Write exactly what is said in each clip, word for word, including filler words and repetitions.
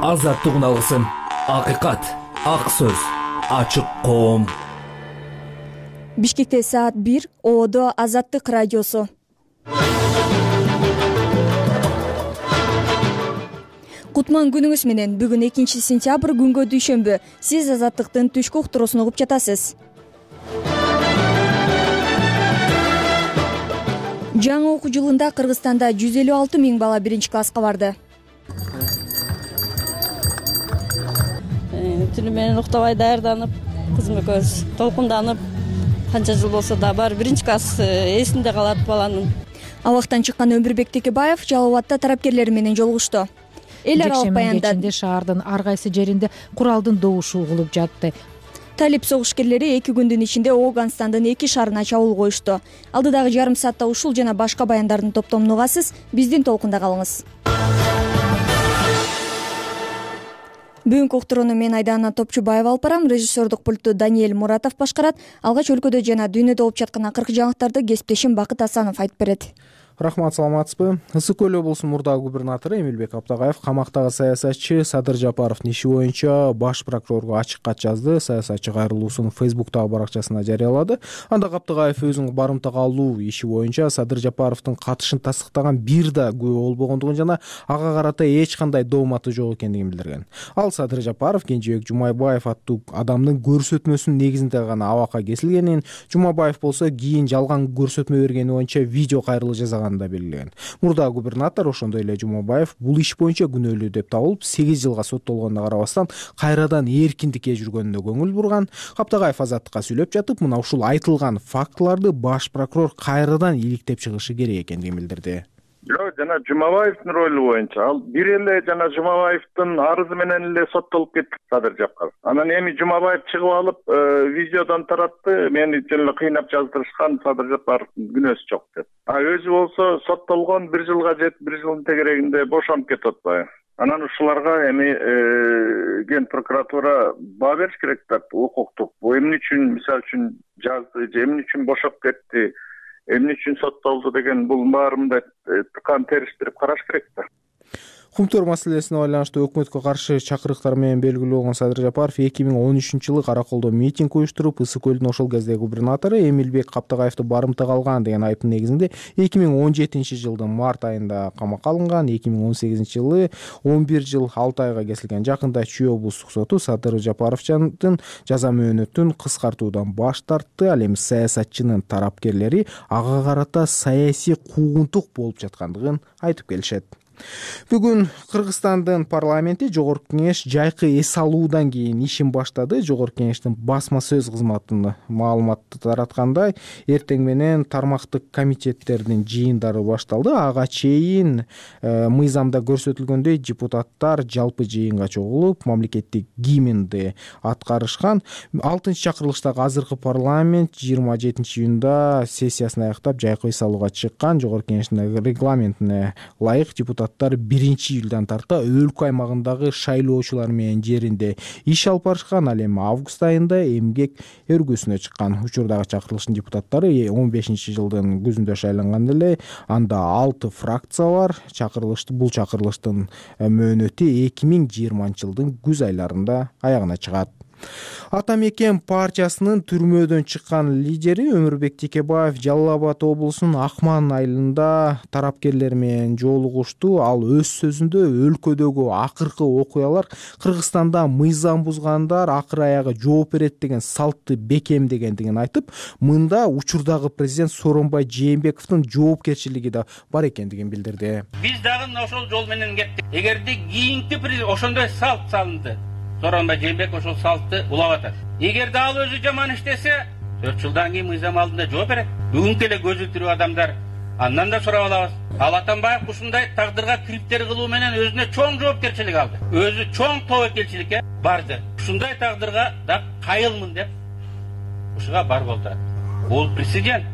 Азаттык алгысым, акыйкат, ак сөз, ачык коом. Бишкекте саат бир, Оодо Азаттык радиосу. Кутман күнүңүз менен. Бүгүн экинчи сентябрь, күнгө дүйшөмбү. Сиз Азаттыктын түшкү уктуруусун угуп жатасыз. Жаңы окуу жылында Кыргызстанда жүз элүү алты миң бала биринчи класска барды. Түнү менен уктабай даярданып, кызым экөөбүз толкунданып, канча жыл болсо да бар биринчи класс эсинде калат баланын. Абактан чыккан Өмүрбек Текебаев Жалал Абадта тарапкерлери менен жолугушту. Эл аралык баяндат. Кечинде шаардын ар кайсы жеринде куралдын добушу угулуп жатты. Талип согушкерлери эки күндүн ичинде Ооганстандын эки шаарына чабуул коюшту. Алдыдагы жарым саатта ушул жана башка баяндардын топтомун угасыз. Биздин толкунда калыңыз. Бүгүнкү уктурууну мен Айдана Топчубаева алып барам. Режиссердук пультту Даниэль Муратов башкарат. Алгач өлкөдө жана дүйнөдө болуп жаткан акыркы жаңылыктарды кесиптешим Бакыт Асанов айтып берет. Рахмат, саламатсызбы? Ысык көл облусунун мурдагы губернатору Эмилбек Аптагаев камактагы саясатчы Садыр Жапаровдун иши боюнча баш прокурорго ачык кат жазды. Саясатчы кайрылуусун Фейсбуктагы баракчасына жарыялады. Анда Аптагаев өзүнүн барымтага алуу иши боюнча Садыр Жапаровдун катышын тастыктаган бир да күбө болбогондугун жана ага карата эч кандай дооматы жок экендигин билдирген. Ал Садыр Жапаров Кенжебек Жумайбаев аттуу адамдын көрсөтмөсүнүн негизинде гана абакка кесилгенин, Жумайбаев болсо кийин жалган көрсөтмө бергени боюнча видео кайрылуу жасаган да белгилеген. Мурдагы губернатор ошондой эле Жумайбаев бул иш боюнча күнөөлүү деп табылып, сегиз жылга соттолгонуна карабастан кайрадан эркиндикке жүргөнүнө көңүл бурган. Аптагаев Азаттыкка сүйлөп жатып, мына ушул айтылган фактыларды баш прокурор кайрадан иликтеп чыгышы керек экендигин билдирди. Жок, жана Жумабаевдин ролу боюнча ал бир эле жана Жумабаевдин арызы менен эле соттолуп кетти Садыр Жапаров. Анан эми Жумабаев чыгып алып, видеодон таратты, мени жөн эле кыйнап жаздырышкан, Садыр Жапаровдун күнөөсү жок деп. А өзү болсо соттолгон бир жылга жетип, бир жылдын тегерегинде бошонуп кетип атпайбы? Анан ушуларга эми ген прокуратура баа бериш керек да, укуктук. Бу эмне үчүн, мисалы үчүн жазды, эмне үчүн бошоп кетти, эмне үчүн соттолду деген бул баарында тыкан териштирип караш керек да. Кумтөр маселесине байланыштуу өкмөткө каршы чакырыктар менен белгилүү болгон Садыр Жапаров эки миң он үчүнчү жылы Караколдо митинг уюштуруп, Ысык көлдүн ошол кездеги губернатору Эмилбек Аптагаевди барымтага алган деген айыптын негизинде эки миң он жетинчи жылдын март айында камакка алынган. эки миң он сегизинчи жылы он бир жыл алты айга кесилген. Жакында Чүй облустук соту Садыр Жапаровдун жаза мөөнөтүн кыскартуудан баш тартты. Ал эми саясатчынын тарапкерлери ага карата саясий куугунтук болуп жаткандыгын айтып келишет. Бүгүн Кыргызстандын парламенти Жогорку кеңеш жайкы эс алуудан кийин ишин баштады. Жогорку кеңештин басма сөз кызматына маалымат тараткандай, эртең менен тармактык комитеттердин жыйындары башталды. Ага чейин э, мыйзамда көрсөтүлгөндөй депутаттар жалпы жыйынга чогулуп, мамлекеттик гимнди аткарышкан. алтынчы чакырылыштагы азыркы парламент жыйырма жетинчи июнда сессиясын аяктап жайкы эс алууга чыккан. Жогорку кеңештин регламентине ылайык депутат биринчи июлдан тарта өлкө аймагындагы шайлоочулар менен жеринде иш алып барышкан. Ал эми август айында эмгек өргөсүнө чыккан. Учурдагы чакырылыштын депутаттары он бешинчи жылдын күзүндө шайланган эле. Анда алты фракция бар. Чакырылышты бул чакырылыштын мөөнөтү эки миң жыйырманчы жылдын күз айларында аягына чыгат. Ата мекен партиясынын түрмөдөн чыккан лидери Өмүрбек Текебаев Жалал Абад облусунун Акман айылында тарапкерлер менен жолугушту. Ал өз сөзүндө өлкөдөгү акыркы окуялар Кыргызстанда мыйзам бузгандар акыр аягы жооп берет деген салтты бекемдегендигин айтып, мында учурдагы президент Сооронбай Жээнбековдун жоопкерчилиги да бар экендигин билдирди. Биз дагы ошол жол менен кеттик. Эгерде кийинки ошондой салт салынды, Сооронбай Жээнбеков ошол салтты улап атат. Эгерде ал өзү жаман иштесе, төрт жылдан кийин мыйзам алдында жооп берет. Бүгүнкү эле көзү тирүү адамдар андан да сурап алабыз. Ал Атамбаев ушундай тагдырга кириптер кылуу менен өзүнө чоң жоопкерчилик алды. Өзү чоң тобокелчиликке барды. Ушундай тагдырга да кайылмын деп ушуга бар болду. Бул президент.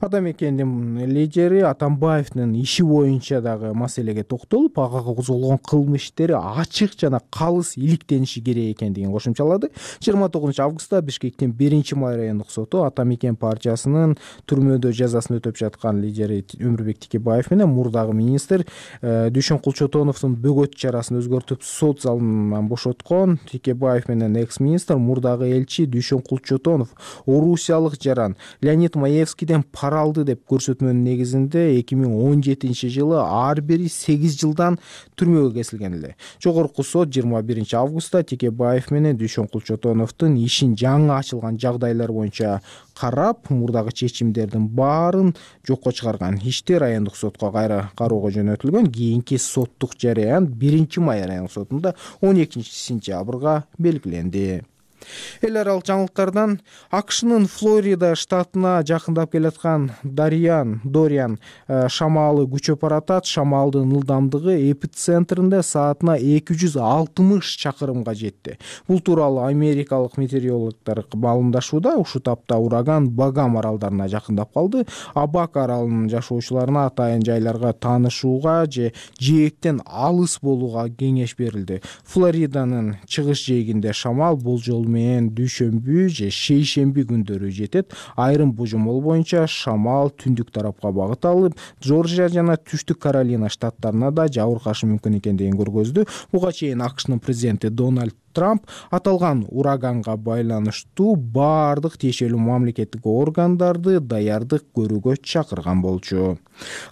Ата мекендин лидери Атамбаевдин иши боюнча дагы маселеге токтолуп, ага козголгон кылмыш иштери ачык жана калыс иликтениши керек экендигин кошумчалады. жыйырма тогузунчу августта Бишкектин биринчи май райондук соту Ата мекен партиясынын түрмөдө жазасын өтөп жаткан лидери Өмүрбек Текебаев менен мурдагы министр Дүйшөн Кулчотоновдун бөгөт чарасын өзгөртүп сот залынан бошоткон. Текебаев менен экс-министр мурдагы элчи Дүйшөн Кулчотонов орусиялык жаран Леонид Маевскийден пара алды деп көрсөтмөнүн негизинде эки миң он жетинчи жылы ар бири сегиз жылдан түрмөгө кесилген эле. Жогорку сот жыйырма биринчи августта Текебаев менен Дүйшөн Кулчотоновдун ишин жаңы ачылган жагдайлар боюнча карап, мурдагы чечимдердин баарын жокко чыгарган. Ишти райондук сотко кайра кароого жөнөтүлгөн. Кийинки соттук жарыян биринчи май райондук сотунда он экинчи сентябрга белгиленди. Эл аралык жаңылыктардан АКШнын Флорида штатына жакындап келаткан Дарьян Дориан шамалы күчөп баратат. Шамалдын ылдамдыгы эпицентринде саатына эки жүз алтымыш чакырымга жетти. Бул тууралуу америкалык метеорологдор маалымдашууда. Ушул тапта ураган Багам аралдарына жакындап калды. Абак аралынын жашоочуларына атайын жайларга таанышууга же жээктен алыс болууга кеңеш берилди. Флориданын чыгыш жээгинде шамал болжол менен дүйшөмбү же шейшемби күндөрү жетет. Айрым божомол боюнча шамал түндүк тарапка багыт алып, Жоржия жана Түштүк Каролина штаттарына да жабыркашы мүмкүн экендигин көргөздү. Буга чейин АКШнын президенти Дональд Трамп аталган ураганга байланыштуу баардык тиешелүү мамлекеттик органдарды даярдык көрүүгө чакырган болчу.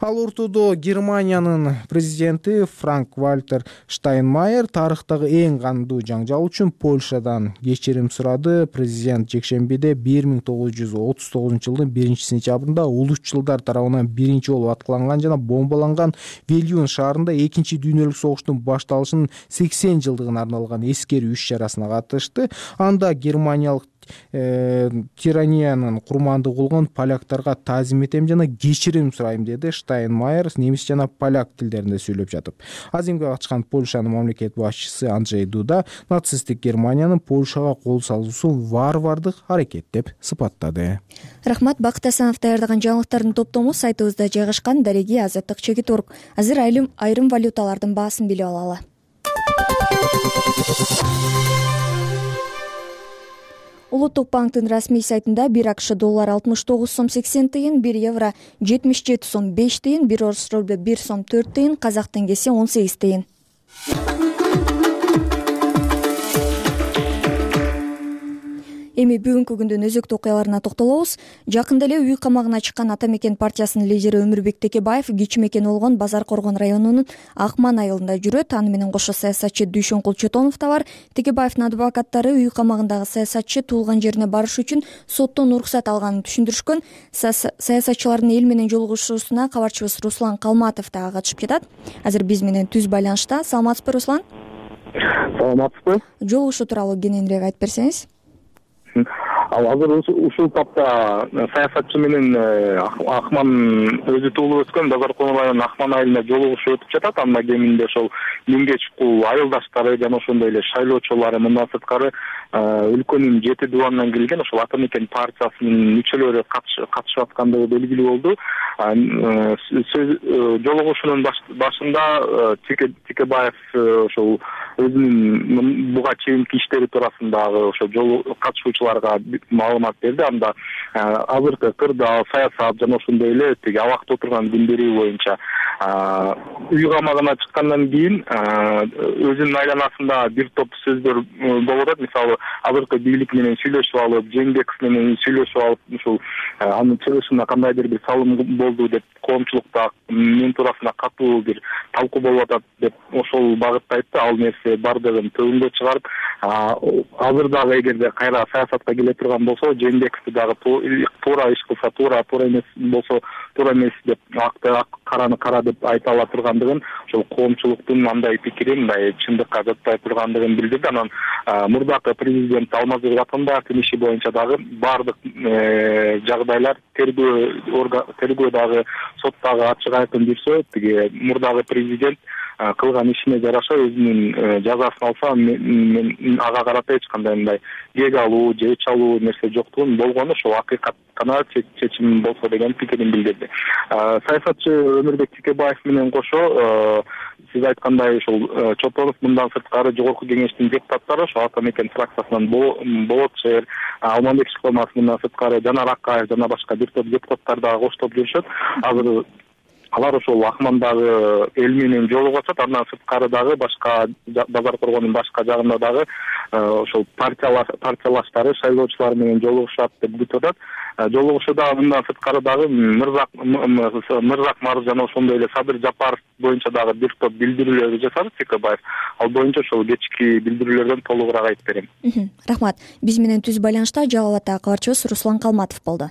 Ал ортодо Германиянын президенти Франк Вальтер Штайнмайер тарыхтагы эң кандуу жаңжал үчүн Польшадан кечирим сурады. Президент жекшембиде бир миң тогуз жүз отуз тогузунчу жылдын биринчи сентябрында улусчулдар тарабынан биринчи жолу аткыланган жана бомбаланган Вильюн шаарында экинчи дүйнөлүк согуштун башталышынын сексен жылдыгына арналган эскерүү иш чарасына катышты. Анда германиялык тираниянын курмандыгы болгон поляктарга таазим этем жана кечирим сурайм деди Штайнмайер немис жана поляк тилдеринде сүйлөп жатып. Азимге катышкан Польшанын мамлекет башчысы Анджей Дуда нацисттик Германиянын Польшага кол салуусун варвардык аракет деп сыпаттады. Рахмат. Бакыт Асанов даярдаган жаңылыктардын топтому сайтыбызда жайгашкан. Дареги Азаттык Чекит Орг. Азыр айрым айрым валюталардын баасын билип алалы. Улуттук банктын расмий сайтында бир АКШ доллар алтымыш тогуз сом сексен тыйын, бир евро жетимиш жети сом беш тыйын, бир орус рубль бир сом төрт тыйын, казак теңгеси он сегиз тыйын. Эми бүгүнкү күндүн өзөктүү окуяларына токтолобуз. Жакында эле үй камагына чыккан Ата мекен партиясынын лидери Өмүрбек Текебаев кичи мекени болгон Базар Коргон районунун Акман айылында жүрөт. Аны менен кошо саясатчы Дүйшөн Кулчотонов да бар. Текебаевдин адвокаттары үй камагындагы саясатчы туулган жерине барыш үчүн соттон уруксат алганын түшүндүрүшкөн. Саясатчылардын эл менен жолугушуусуна кабарчыбыз Руслан Калматов да катышып жатат. Азыр биз менен түз байланышта. Саламатсызбы, Руслан? Саламатсызбы. Жолугушуу тууралуу кененирээк айтып берсеңиз. Ал азыр ушул тапта саясатчы менен Акман өзү туулуп өскөн Базар Коргон районунун Акман айылына жолугушуу өтүп жатат. Анда кеминде ошол миңге чукул айылдаштары жана ошондой эле шайлоочулары, мындан сырткары өлкөнүн жети дубанынан келген ошол Ата мекен партиясынын мүчөлөрү катышып аткандыгы белгилүү болду. Жолугушуунун башында Текебаев ошол өзүнүн буга чейинки иштери туурасындагы ошо жол катышуучуларга маалымат берди. Анда азыркы кырдаал, саясат жана ошондой эле тиги абакта отурган күндөрү боюнча үй камагына чыккандан кийин өзүнүн айланасында бир топ сөздөр болуп атат. Мисалы, азыркы бийлик менен сүйлөшүп алып, Жээнбеков менен сүйлөшүп алып, ушул анын чыгышында кандайдыр бир салым болду деп, коомчулукта мен туурасында катуу бир талкуу болуп атат деп ошол багытта айтты. Ал нерсе бардыгын төгүнгө чыгарып, азыр дагы эгерде кайра саясатка келе турган болсо, Жээнбековду дагы туура иш кылса туура, туура эмес болсо туура эмес деп, акты ак, караны кара деп айта ала тургандыгын, ошол коомчулуктун андай пикирин мындай чындыкка жатпай тургандыгын билдирди. Анан мурдакы президент Алмазбек Атамбаевдин иши боюнча дагы баардык жагдайлар тергөө тергөө дагы сот дагы ачык айкын жүрсө, тиги мурдагы президент кылган ишине жараша өзүнүн жазасын алса, мен ага карата эч кандай мындай кек алуу же өч алуу нерсе жоктугун, болгону ошол акыйкат гана чечим болсо деген пикирин билдирди. Саясатчы Өмүрбек Текебаев менен кошо сиз айткандай ушул Чотонов мындан сырткары жогорку кеңештин депутаттары, ошо Ата Мекен фракциясынан Болот шаар, Алмамбек Шыкмаматов мындан сырткары Жанар Акаев жана башка бир топ депутаттар дагы коштоп жүрүшөт. Азыр алар ошол Акмандагы эл менен жолугуп атат. Андан сырткары дагы башка Базар Коргондун башка жагында дагы ошол партиялаштары шайлоочулар менен жолугушат деп күтүп атат. Жолугушууда мындан сырткары дагы Мырзак Мырзак Маржан ошондой эле Садыр Жапаров боюнча дагы бир топ билдирүүлөрдү жасады Текебаев. Ал боюнча ошол кечки билдирүүлөрдөн толугураак айтып берем. Рахмат. Биз менен түз байланышта Жалал ата кабарчыбыз Руслан Калматов болду.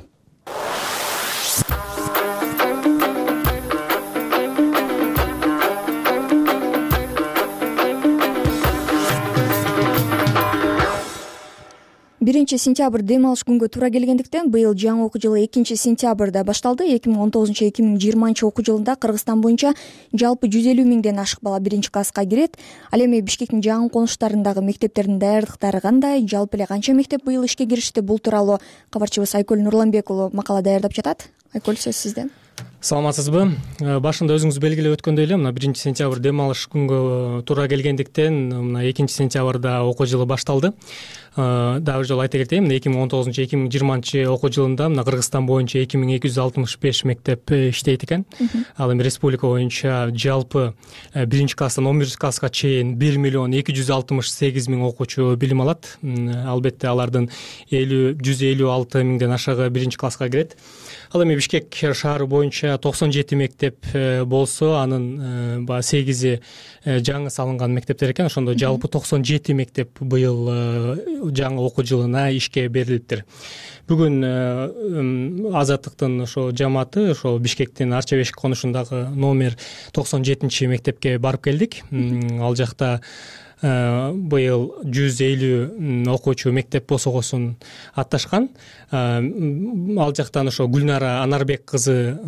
биринчи сентябрь дем алыш күнгө туура келгендиктен быйыл жаңы окуу жылы экинчи сентябрда башталды. эки миң он тогузунчу эки миң жыйырманчы окуу жылында Кыргызстан боюнча жалпы жүз элүү миңден ашык бала биринчи класска кирет. Ал эми Бишкектин жаңы конуштарындагы мектептердин даярдыктары кандай, жалпы эле канча мектеп быйыл ишке киришти? Бул тууралуу кабарчыбыз Айкөл Нурланбек уулу макала даярдап жатат. Айкөл, сөз сизден. Саламатсызбы? Башында өзүңүз белгилеп өткөндөй эле мына биринчи сентябрь дем алыш күнгө туура келгендиктен мына экинчи сентябрда окуу жылы башталды. Дагы бир жолу айта кетейин, мына эки миң он тогузунчу эки миң жыйырманчы окуу жылында мына Кыргызстан боюнча эки миң эки жүз алтымыш беш мектеп иштейт экен. Ал эми республика боюнча жалпы биринчи класстан он биринчи класска чейин бир миллион эки жүз алтымыш сегиз миң окуучу билим алат. Албетте алардын жүз элүү алты миңден ашыгы биринчи класска кирет. Ал эми Бишкек шаары боюнча токсон жети мектеп болсо, анын баягы сегизи жаңы салынган мектептер экен. Ошондо жалпы токсон жети мектеп быйыл жаңы окуу жылына ишке берилиптир. Бүгүн Азаттыктын ошо жамааты ошо Бишкектин Арчабешик конушундагы номер токсон жетинчи мектепке барып келдик. Ал жакта быйыл жүз элүү окуучу мектеп босогосун атташкан. Ал жактан ошо Гүлнара Анарбек кызы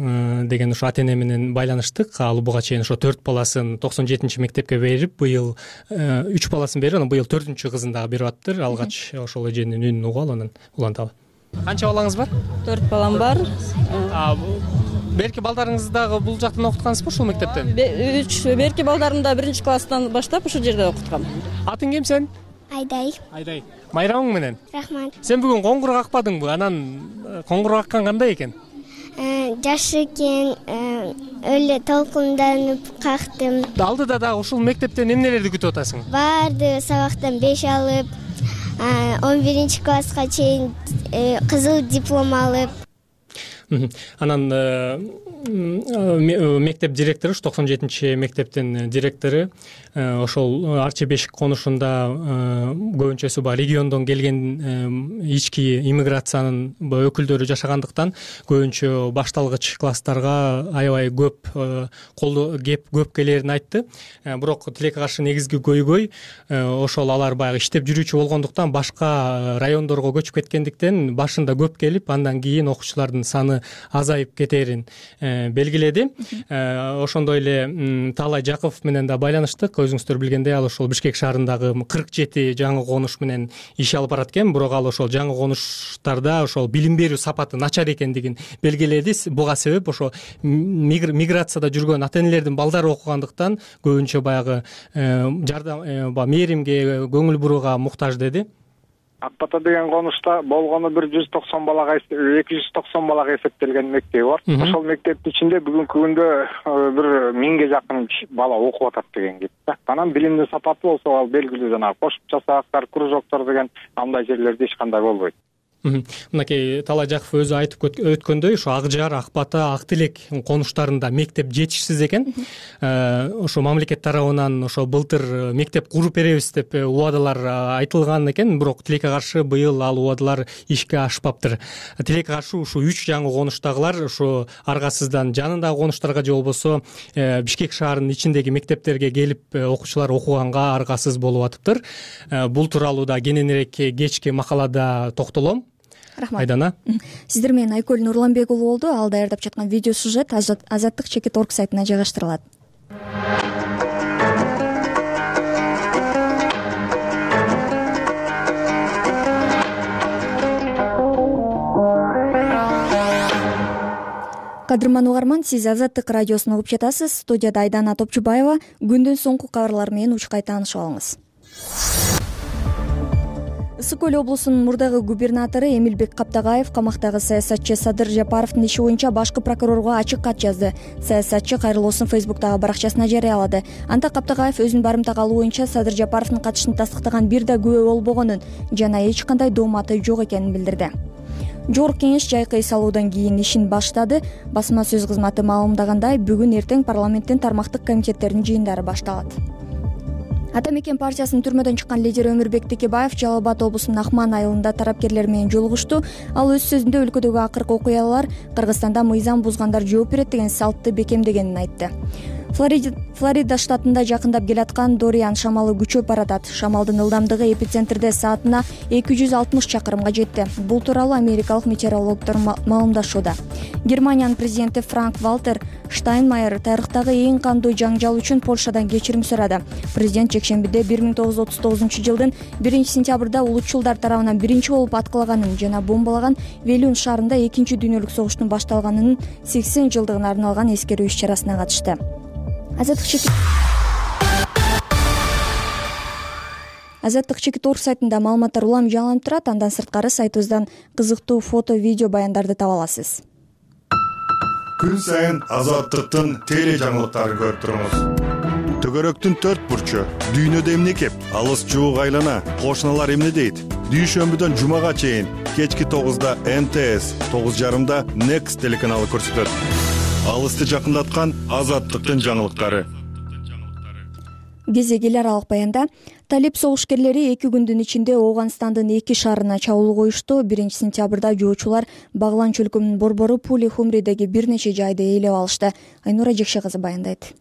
деген ошо ата эне менен байланыштык. Ал буга чейин ошо төрт баласын токсон жетинчи мектепке берип, быйыл үч баласын берип, анан быйыл төртүнчү кызын дагы берип аттыр. Алгач ошол эженин үнүн угуп анан уланталы. Канча балаңыз бар? төрт балам бар. Берки балдарыңызды дагы бул жактан окуткансызбы ушул мектептен? үч берки балдарымды да биринчи класстан баштап ушул жерде окуткам. Атың ким сен? Айдай. Айдай. Майрамың менен? Рахмат. Сен бүгүн коңгуроо какпадыңбы? Анан коңгуроо каккан кандай экен? Жакшы экен, эле толкунданып кактым. Алдыда дагы ушул мектептен эмнелерди күтүп атасың? Барды сабактан беш алып, он биринчи класска чейин кызыл диплом алып. Анан мектеп директору, токсон жетинчи мектептин директору ошол Арчабешик конушунда көбүнчөсү баягы региондон келген ички иммиграциянын өкүлдөрү жашагандыктан көбүнчө башталгыч класстарга аябай көп колдоо кеп көп келерин айтты. Бирок тилекке каршы негизги көйгөй ошол алар баягы иштеп жүрүүчү болгондуктан башка райондорго көчүп кеткендиктен башында көп келип, андан кийин окуучулардын саны азайып кетерин белгиледи. Ошондой эле Таалай Жаков менен да байланыштык. Өзүңүздөр билгендей, ал ошол Бишкек шаарындагы кырк жети жаңы конуш менен иш алып барат экен. Бирок ал ошол жаңы конуштарда ошол билим берүү сапаты начар экендигин белгиледи. Буга себеп ошо миграцияда жүргөн ата энелердин балдары окугандыктан көбүнчө баягы жардам, мээримге, көңүл бурууга муктаж деди. Ак Бата деген конушта болгону бир жүз токсон балага, эки жүз токсон балага эсептелген мектеби бар. Ошол мектептин ичинде бүгүнкү күндө бир миңге жакын бала окуп атат деген кеп. Анан билимдин сапаты болсо ал белгилүү, жанагы кошумча сабактар, кружоктор деген андай жерлерде эч кандай болбойт. Мынакей Таалай Жаков өзү айтып өткөндөй, ошо Ак Жар, Ак Бата, Ак Тилек конуштарында мектеп жетишсиз экен. Ошо мамлекет тарабынан ошо былтыр мектеп куруп беребиз деп убадалар айтылган экен, бирок тилекке каршы быйыл ал убадалар ишке ашпаптыр. Тилекке каршы ушу үч жаңы конуштагылар ошо аргасыздан жанындагы конуштарга же болбосо Бишкек шаарынын ичиндеги мектептерге келип окуучулар окуганга аргасыз болуп атыптыр. Бул тууралуу да кененирээк кечки макалада токтолом. Рахмат. Айдана. Сиздер менен Айкөл Нурланбек уулу болду. Ал даярдап жаткан видео сюжет Азаттык чекит точка орг сайтына жайгаштырылат. Кадырман угарман, сиз Азаттык радиосун угуп жатасыз. Студияда Айдана Топчубаева. Күндүн соңку кабарлары менен учкай таанышып алыңыз. Ысык Көл облусунун мурдагы губернатору Эмилбек Каптагаев камактагы саясатчы Садыр Жапаровдун иши боюнча башкы прокурорго ачык кат жазды. Саясатчы кайрылуусун Фейсбуктагы баракчасына жарыялады. Анда Каптагаев өзүнүн барымтага алуу боюнча Садыр Жапаровдун катышын тастыктаган бир да күбө болбогонун жана эч кандай дооматы жок экенин билдирди. Жогорку кеңеш жайкы эс алуудан кийин ишин баштады. Басма сөз кызматы маалымдагандай, бүгүн эртең парламенттин тармактык комитеттеринин жыйындары башталат. Ата мекен партиясынын түрмөдөн чыккан лидери Өмүрбек Текебаев Жалал Абад облусунун Акман айылында тарапкерлер менен жолугушту. Ал өз сөзүндө өлкөдөгү акыркы окуялар Кыргызстанда мыйзам бузгандар жооп берет деген салтты бекемдегенин айтты. Флорида штатында жакындап келаткан Дориан шамалы күчөп баратат. Шамалдын ылдамдыгы эпицентрде саатына эки жүз алтымыш чакырымга жетти. Бул тууралуу америкалык метеорологдор маалымдашууда. Германиянын президенти Франк Валтер Штайнмайер тарыхтагы эң кандуу жаңжал үчүн Польшадан кечирим сурады. Президент жекшембиде бир миң тогуз жүз отуз тогузунчу жылдын биринчи сентябрда улутчулдар тарабынан биринчи болуп аткылаганын жана бомбалаган Велюн шаарында экинчи дүйнөлүк согуштун башталганынын сексен жылдыгына арналган эскерүү иш-чарасына катышты. Азаттык чекит орг сайтында маалыматтар улам жаңыланып турат. Андан сырткары сайтыбыздан кызыктуу фото, видео баяндарды таба аласыз. Күн сайын Азаттыктын теле жаңылыктарын көрүп туруңуз. Төгөрөктүн төрт бурчу, дүйнөдө эмне кеп, алыс жуук айлана, кошуналар эмне дейт? Дүйшөмбүдөн жумага чейин кечки тогузда эн тэ эс, тогуз жарымда Next телеканалы көрсөтөт. Алысты жакындаткан Азаттыктын жаңылыктары. Кезек эл аралык баянда талип согушкерлери эки күндүн ичинде Ооганстандын эки шаарына чабуул коюшту. биринчи сентябрда жоочулар Баглан чөлкөмүнүн борбору Пули Хумридеги бир нече жайды ээлеп алышты. Айнура Жекше кызы баяндайт.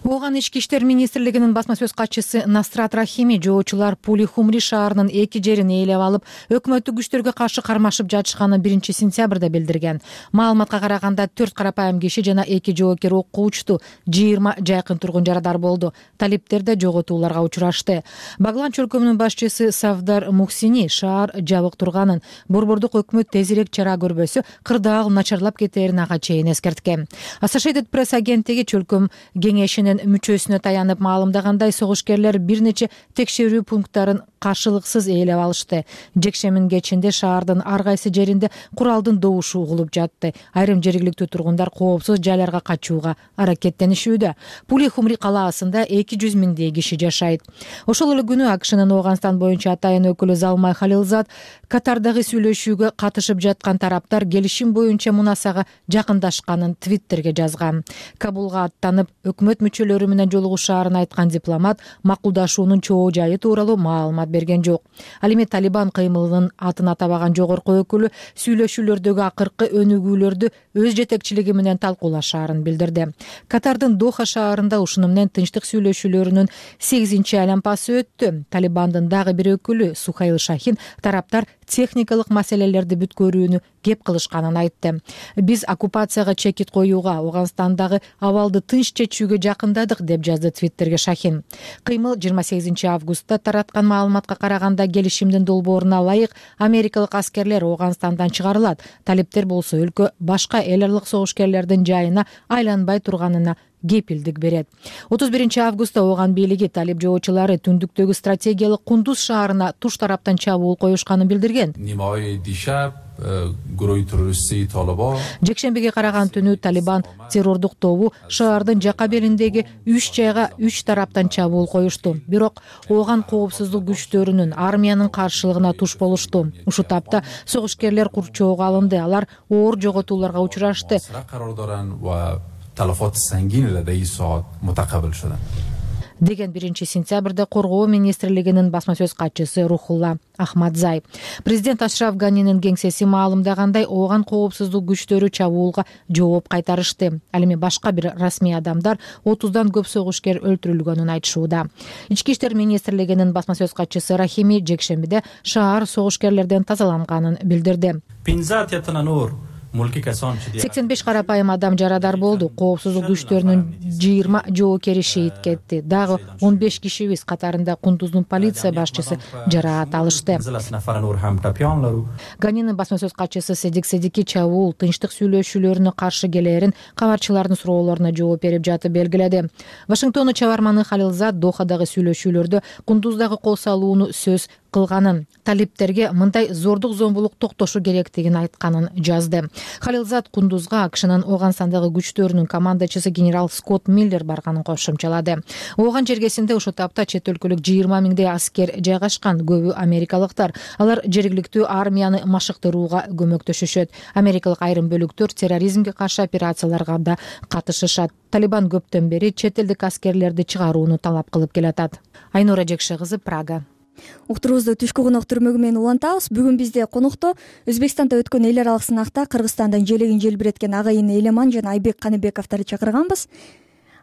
Ооган ички иштер министрлигинин басма сөз катчысы Насрат Рахими жоочулар Пули Хумри шаарынын эки жерин ээлеп алып, өкмөттүк күчтөргө каршы кармашып жатышканын биринчи сентябрда билдирген. Маалыматка караганда төрт карапайым киши жана эки жоокер окко учту. жыйырма жайкын тургун жарадар болду. Талиптер да жоготууларга учурашты. Баглан чөлкөмүнүн башчысы Савдар Мухсини шаар жабык турганын, борбордук өкмөт тезирээк чара көрбөсө кырдаал начарлап кетерин ага чейин эскерткен. Associated Press агенттиги чөлкөм кеңешинин мүчөсүнө таянып маалымдагандай, согушкерлер бир нече текшерүү пункттарын каршылыксыз ээлеп алышты. Жекшембинин кечинде шаардын ар кайсы жеринде куралдын добушу угулуп жатты. Айрым жергиликтүү тургундар коопсуз жайларга качууга аракеттенишүүдө. Пули Хумри калаасында эки жүз миңдей киши жашайт. Ошол эле күнү АКШнын Ооганстан боюнча атайын өкүлү Залмай Халилзад Катардагы сүйлөшүүгө катышып жаткан тараптар келишим боюнча мунасага жакындашканын Твиттерге жазган. Кабулга аттанып, өкмөт мүчөлөрү менен жолугушаарын айткан дипломат макулдашуунун чоо жайы тууралуу маалымат берген жок. Ал эми Талибан кыймылынын атын атабаган жогорку өкүлү сүйлөшүүлөрдөгү акыркы өнүгүүлөрдү өз жетекчилиги менен талкуулашаарын билдирди. Катардын Доха шаарында ушуну менен тынчтык сүйлөшүүлөрүнүн сегизинчи айланпасы өттү. Талибандын дагы бир өкүлү Сухайл Шахин тараптар техникалык маселелерди бүткөрүүнү кеп кылышканын айтты. Биз оккупацияга чекит коюуга, Ооганстандагы абалды тынч чечүүгө жакындадык, деп жазды Твиттерге Шахин. Кыймыл жыйырма сегизинчи августта тараткан маалыматка караганда келишимдин долбооруна ылайык америкалык аскерлер Ооганстандан чыгарылат. Талиптер болсо өлкө башка эл аралык согушкерлердин жайына айланбай турганына кепилдик берет. отуз биринчи августта Ооган бийлиги талип жоочулары түндүктөгү стратегиялык Кундуз шаарына туш тараптан чабуул коюшканын билдирген. Жекшембиге караган түнү Талибан террордук тобу шаардын жака бериндеги үч жайга үч тараптан чабуул коюшту. Бирок Ооган коопсуздук күчтөрүнүн армиянын каршылыгына туш болушту. Ушу тапта согушкерлер курчоого алынды. Алар оор жоготууларга учурашты. تلفات سنگین لدی ساعت متقبل شدن. деген биринчи сентябрда коргоо министрлигинин басма сөз катчысы Рухулла Ахмадзай. Президент Ашраф Ганинин кеңсеси маалымдагандай, Ооган коопсуздук күчтөрү чабуулга жооп кайтарышты. Ал эми башка бир расмий адамдар отуздан көп согушкер өлтүрүлгөнүн айтышууда. Ички иштер министрлигинин басма сөз катчысы Рахими жекшембиде шаар согушкерлерден тазаланганын билдирди. сексен беш карапайым адам жарадар болду. Коопсуздук күчтөрүнүн жыйырма жоокери шейит кетти. Дагы он беш кишибиз катарында Кундуздун полиция башчысы жараат алышты. Ганинин басма сөз катчысы Седик Седики чабуул тынчтык сүйлөшүүлөрүнө каршы келээрин кабарчылардын суроолоруна жооп берип жатып белгиледи. Вашингтондун чабарманы Халилзат Дохадагы сүйлөшүүлөрдө Кундуздагы кол салууну сөз кылганын, талиптерге мындай зордук зомбулук токтошу керектигин айтканын жазды. Халилзат Кундузга АКШнын Ооганстандагы күчтөрүнүн командачысы генерал Скотт Миллер барганын кошумчалады. Ооган жергесинде ошол тапта чет өлкөлүк жыйырма миңдей аскер жайгашкан, көбү америкалыктар. Алар жергиликтүү армияны машыктырууга көмөктөшүшөт. Америкалык айрым бөлүктөр терроризмге каршы операцияларга да катышышат. Талибан көптөн бери чет элдик аскерлерди чыгарууну талап кылып келатат. Айнура Жекше кызы, Прага. Уктуруубузду түшкү конок түрмөгү менен улантабыз. Бүгүн бизде конокто Өзбекстанда өткөн эл аралык сынакта Кыргызстандын желегин желбиреткен агайын Элеман жана Айбек Каныбековторду чакырганбыз.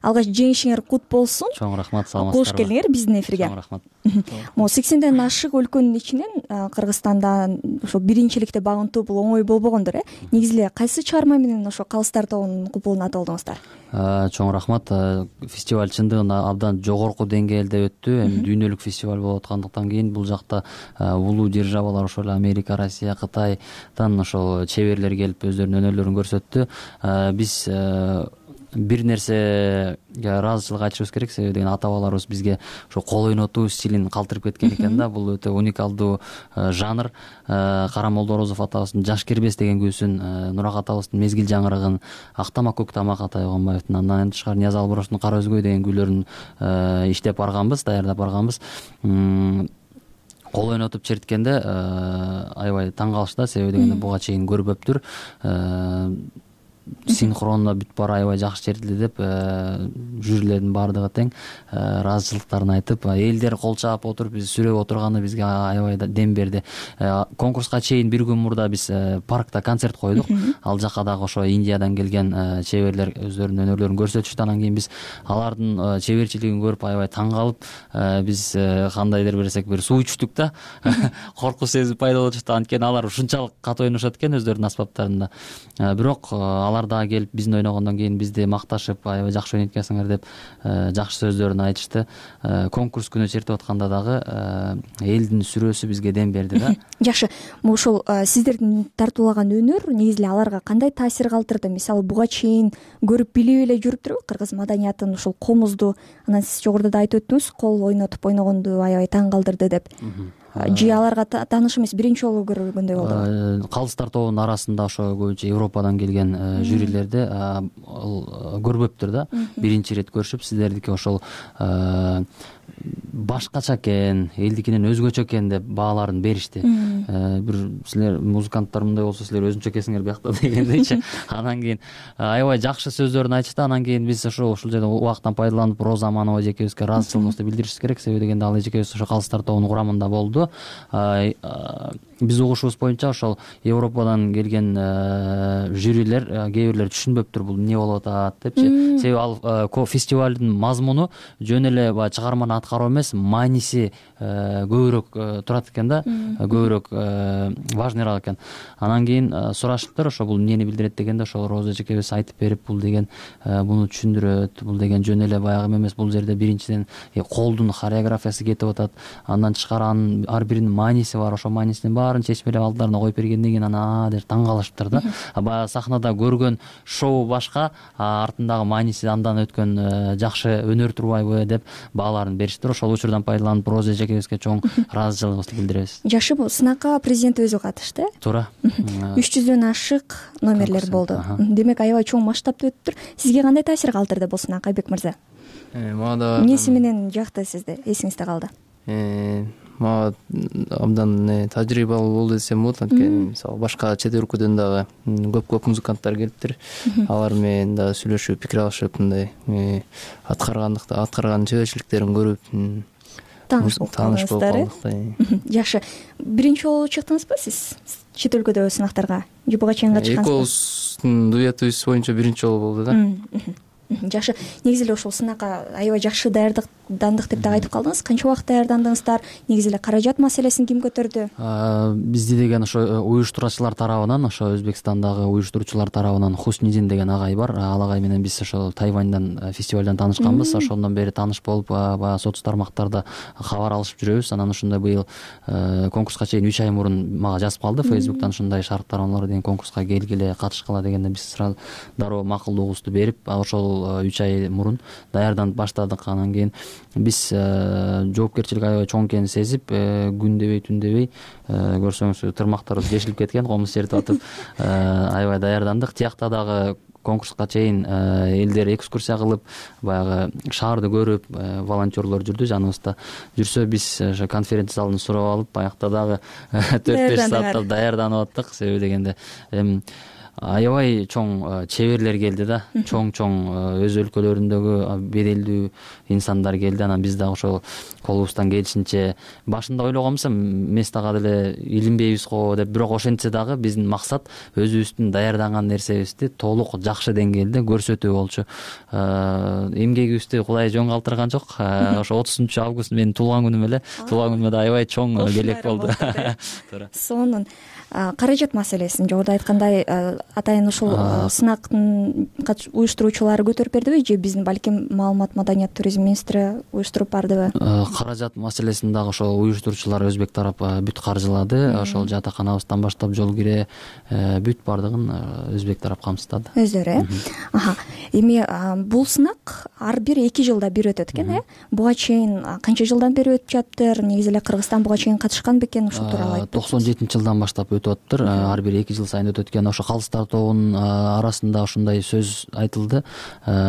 Алгач жеңишиңер кут болсун. Чоң рахмат, саламатсыздарбы? Кош келиңер биздин эфирге. Чоң рахмат. Могу сексенден ашык өлкөнүн ичинен Кыргызстанда ошо биринчиликте багынтуу бул оңой болбогондур, э? Негизи эле кайсы чыгарма менен ошо Калыстар тобунун купулуна аталдыңыздар? Чоң рахмат. Фестиваль чындыгында абдан жогорку деңгээлде өттү. Эми дүйнөлүк фестиваль болуп аткандыктан кийин бул жакта улуу державалар, ошол эле Америка, Россия, Кытайдан ошол чеберлер келип өздөрүнүн өнөрлөрүн көрсөттү. Биз бир нерсеге ыраазычылык айтышыбыз керек, себеби деген ата бабаларыбыз бизге ошо кол ойнотуу стилин калтырып кеткен экен да. Бул өтө уникалдуу жанр. Карамолдо Орозов атабыздын Жаш кербес деген күүсүн, Нурак атабыздын Мезгил жаңырыгын, Актамак көк тамак Атай Огонбаевдин, андан тышкары Нияз Албуровдун Кара өзгөй деген күүлөрүн иштеп барганбыз, даярдап барганбыз. Кол ойнотуп черткенде аябай таң калышты да, себеби дегенде буга чейин көрбөптүр. Синхронно бүт бара аябай жакшы чертилди деп жюрилердин баардыгы тең ыраазычылыктарын айтып, элдер кол чаап отуруп биз сүрөп отурганы бизге аябай дем берди. Конкурска чейин бир күн мурда биз паркта концерт койдук. Ал жака дагы ошо Индиядан келген чеберлер өздөрүнүн өнөрлөрүн көрсөтүштү. Анан кийин биз алардын чеберчилигин көрүп аябай таң калып, биз кандайдыр берсек бир суу ичтүк да. Коркуу сезим пайда болуп жатты. Анткени алар ушунчалык катуу ойношот экен өздөрүнүн аспаптарында. Бирок алар дагы келип биздин ойногондон кийин бизди макташып, аябай жакшы ойноткансыңар деп жакшы сөздөрүн айтышты. Конкурс күнү чертип атканда дагы элдин сүрөөсү бизге дем берди да. Жакшы. Ошол сиздердин тартуулаган өнөр негизи эле аларга кандай таасир калтырды? Мисалы, буга чейин көрүп билип эле жүрүптүрбү кыргыз маданиятын, ушул комузду? Анан сиз жогоруда да айтып өттүңүз, кол ойнотуп ойногонду аябай таң калтырды деп. Жи аларга тааныш эмес, биринчи жолу көргөндөй болду. Калыстар тобунун арасында ошо көбүнчө Европадан келген жюрилерди көрбөптүр да. Биринчи ирет көрүшүп, сиздердики ошол башкача экен, элдикинен өзгөчө экен деп бааларын беришти. Бир силер музыканттар мындай болсо силер өзүнчө экенсиңер биякта дегендейчи. Анан кийин аябай жакшы сөздөрүн айтышты. Анан кийин биз ошо ушул жерде убактан пайдаланып Роза Аманова эжекебизге ыраазычылыгыбызды билдиришибиз керек, себеби дегенде ал эжекебиз ошо Калыстар тобунун курамында болду. Биз угушубуз боюнча ошол Европадан келген жюрилер кээ бирлер түшүнбөптүр бул эмне болуп атат депчи. Себеби ал фестивалдын мазмуну жөн эле баягы чыгарманы аткаруу эмес, мааниси көбүрөөк турат экен да, көбүрөөк важныйраак экен. Анан кийин сурашыптыр, ошо бул эмнени билдирет дегенде, ошол Роза эжекебиз айтып берип, бул деген буну түшүндүрөт, бул деген жөн эле баягы эмес, бул жерде биринчиден колдун хореографиясы кетип атат, андан тышкары анын ар биринин мааниси бар, ошо маанисинин баарын чечмелеп алдыларына коюп бергенден кийин анан деп таң калышыптыр да. Баягы сахнада көргөн шоу башка, артындагы мааниси андан өткөн жакшы өнөр турбайбы деп бааларын бериштир. Ошол учурдан пайдаланып Роза эжекебизге чоң ыраазычылыгыбызды билдиребиз. Жакшы, бул сынакка президент өзү катышты. Туура. үч жүздөн ашык номерлер болду. Демек аябай чоң масштабта өттүр. Сизге кандай таасир калтырды бул сынак, Айбек мырза? Мага эмнеси менен жакты сизде, эсиңизде калды? Мага абдан тажрыйбалуу болду десем болот. Анткени мисалы башка чет өлкөдөн дагы көп-көп музыканттар келиптир. Алар менен дагы сүйлөшүп, пикир алышып, мындай аткаргандыкта, аткарган чеберчиликтерин көрүп тааныш болдуңуздар. Жакшы. Биринчи жолу чыктыңызбы сиз чет өлкөдө сынактарга? Же буга чейин катышкансызбы? Экөөбүздүн дуэтибиз боюнча биринчи жолу болду да. Жакшы. Негизи эле ошол сынакка аябай жакшы даярдык даярдандык деп дагы айтып калдыңыз. Канча убакыт даярдандыңыздар? Негизи эле каражат маселесин ким көтөрдү? Бизди деген ошо уюштуруучулар тарабынан, ошо Өзбекстандагы уюштуруучулар тарабынан Хуснидин деген агай бар. Ал агай менен биз ошо Тайваньдан фестивалдан таанышканбыз. Ошондон бери тааныш болуп, баягы соц тармактарда кабар алышып жүрөбүз. Анан ушундай быйыл конкурска чейин үч ай мурун мага жазып калды Фейсбуктан, ушундай шарт тарамалар деген конкурска келгиле, катышкыла дегенде биз сразу дароо макулдугубузду берип, ошол үч ай мурун даярданып баштадык. Анан кийин биз жоопкерчилик аябай чоң экенин сезип, күн дебей түн дебей, көрсөңүз тырмактарыбыз жешилип кеткен, комуз чертип атып аябай даярдандык. Тиякта дагы конкурска чейин элдер экскурсия кылып, баягы шаарды көрүп, волонтерлор жүрдү жаныбызда. Жүрсө биз ошо конференция залын сурап алып, аякта дагы төрт беш сааттап даярданып аттык. Себеби дегенде эми аябай чоң чеберлер келди да, чоң-чоң өз өлкөлөрүндөгү беделдүү инсандар келди. Анан биз дагы ошол колубуздан келишинче, башында ойлогонбуз эмес дагы деле илинбейбиз го деп, бирок ошентсе дагы биздин максат өзүбүздүн даярданган нерсебизди толук жакшы деңгээлде көрсөтүү болчу. Эмгегибизди Кудай жөн калтырган жок. Ошо отузунчу август менин туулган күнүм эле. Туулган күнүмө да аябай чоң белек болду. Сонун каражат маселесин жогоруда айткандай атайын ушул сынактын уюштуруучулары көтөрүп бердиби же биздин балким маалымат, маданият, туризм министри уюштуруп бардыбы? Каражат маселесин дагы ошол уюштуруучулар өзбек тарап бүт каржылады. Ошол жатаканабыздан баштап жол кире бүт бардыгын өзбек тарап камсыздады. Өздөрү, э? Аха. Эми бул сынак ар бир эки жылда бир өтөт экен, э? Буга чейин канча жылдан бери өтүп жатыр? Негизи эле Кыргызстан буга чейин катышкан бекен? Ушул тууралуу айтып. токсон жетинчи жылдан баштап өтүп атыптыр. Ар бир эки жыл сайын өтөт экен. Ошо калыстар тобунун арасында ушундай сөз айтылды.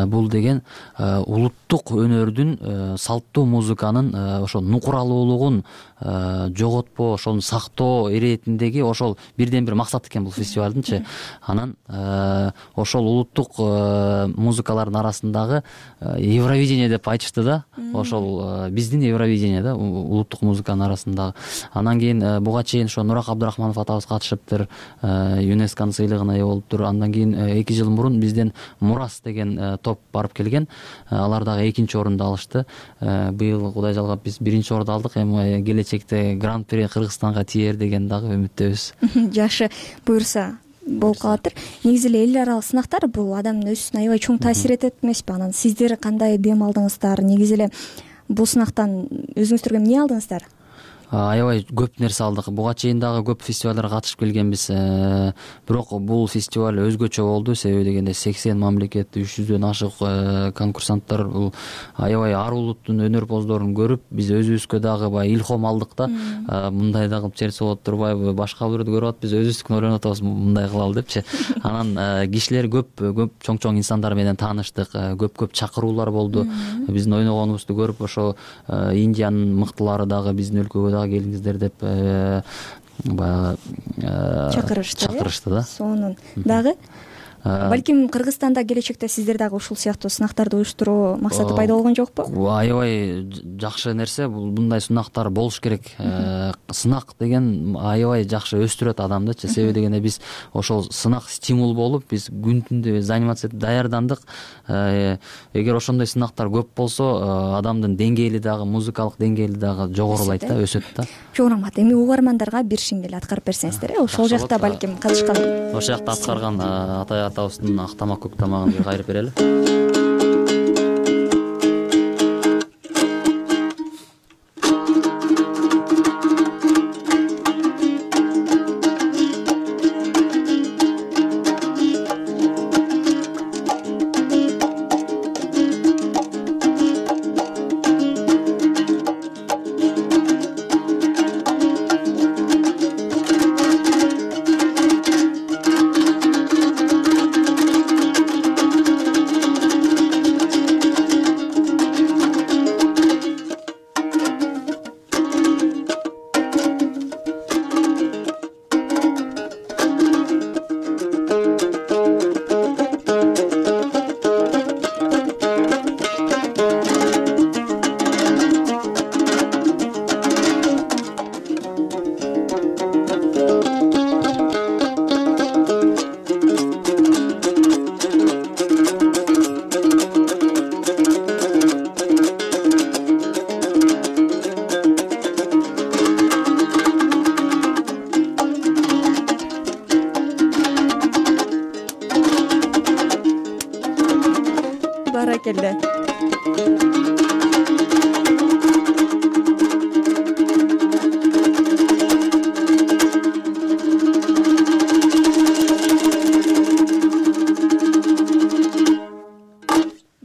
Бул деген улуттук өнөрдүн, салттуу музыканын ошо нукуралуулугун жоготпоо, ошону сактоо иретиндеги ошол бирден бир максат экен бул фестивалдынчы. Анан ошол улуттук музыкалардын арасындагы Евровидение деп айтышты да. Ошол биздин Евровидение да, улуттук музыканын арасындагы. Анан кийин буга чейин ошо Нурак Абдрахманов атабыз катышыптыр, ЮНЕСКОнун сыйлыгына ээ болуптур. Андан кийин эки жыл мурун бизден Мурас деген топ барып келген. Алар дагы экинчи орунду алышты. Быйыл Кудай жалгап биз биринчи орунду алдык. Эми келечекте Гран-при Кыргызстанга тиер деген дагы үмүттөбүз. Жакшы, буюрса болуп калатыр. Негизи эле эл аралык сынактар бул адамдын өзүнө аябай чоң таасир этет эмеспи? Анан сиздер кандай дем алдыңыздар? Негизи эле бул сынактан өзүңүздөр эмне алдыңыздар? Аябай көп нерсе алдык. Буга чейин дагы көп фестивалдарга катышып келгенбиз. Бирок бул фестиваль өзгөчө болду. Себеби дегенде сексен мамлекет, үч жүздөн ашык конкурсанттар, бул аябай ар улуттун өнөрпоздорун көрүп, биз өзүбүзгө дагы баягы илхом алдык да. Мындай да кылып чертсе болот турбайбы? Башка бирөөдү көрүп атып, биз өзүбүздүкүн ойлонуп атабыз, мындай кылалы депчи. Анан кишилер көп, көп чоң-чоң инсандар менен тааныштык, көп-көп чакыруулар болду. Биздин ойногонубузду көрүп, ошо Индиянын мыктылары дагы биздин өлкөгө келиңиздер деп баягы чакырышты. Чакырышты да. Сонун. Дагы балким Кыргызстанда келечекте сиздер дагы ушул сыяктуу сынактарды уюштуруу максаты пайда болгон жокпу? Аябай жакшы нерсе, бул мындай сынактар болуш керек. Сынак деген аябай жакшы өстүрөт адамдычы. Себеби дегенде биз ошол сынак стимул болуп, биз күн түндө занимация этип даярдандык. Эгер ошондой сынактар көп болсо, адамдын деңгээли дагы, музыкалык деңгээли дагы жогорулайт да, өсөт да. Жок рахмат. Эми угармандарга бир шиңдел аткарып берсеңиздер, э? Ошол жакта балким катышкан. Ошол жакта аткарган атай атабыздын ак тамак, көк тамагын кайрып берели.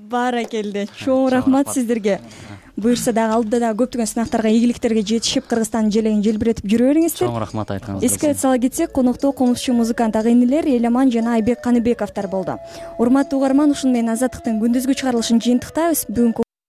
Баракелде, чоң рахмат сиздерге. Буюрса дагы алдыда дагы көптөгөн сынактарга, игиликтерге жетишип, Кыргызстандын желегин желбиретип жүрө бериңиздер. Чоң рахмат айтканыңызга. Эске сала кетсек, конокто комузчу музыкант ага инилер Эламан жана Айбек Каныбековдор болду. Урматтуу угарман, ушуну менен Азаттыктын күндүзгү чыгарылышын жыйынтыктайбыз. Бүгүнкү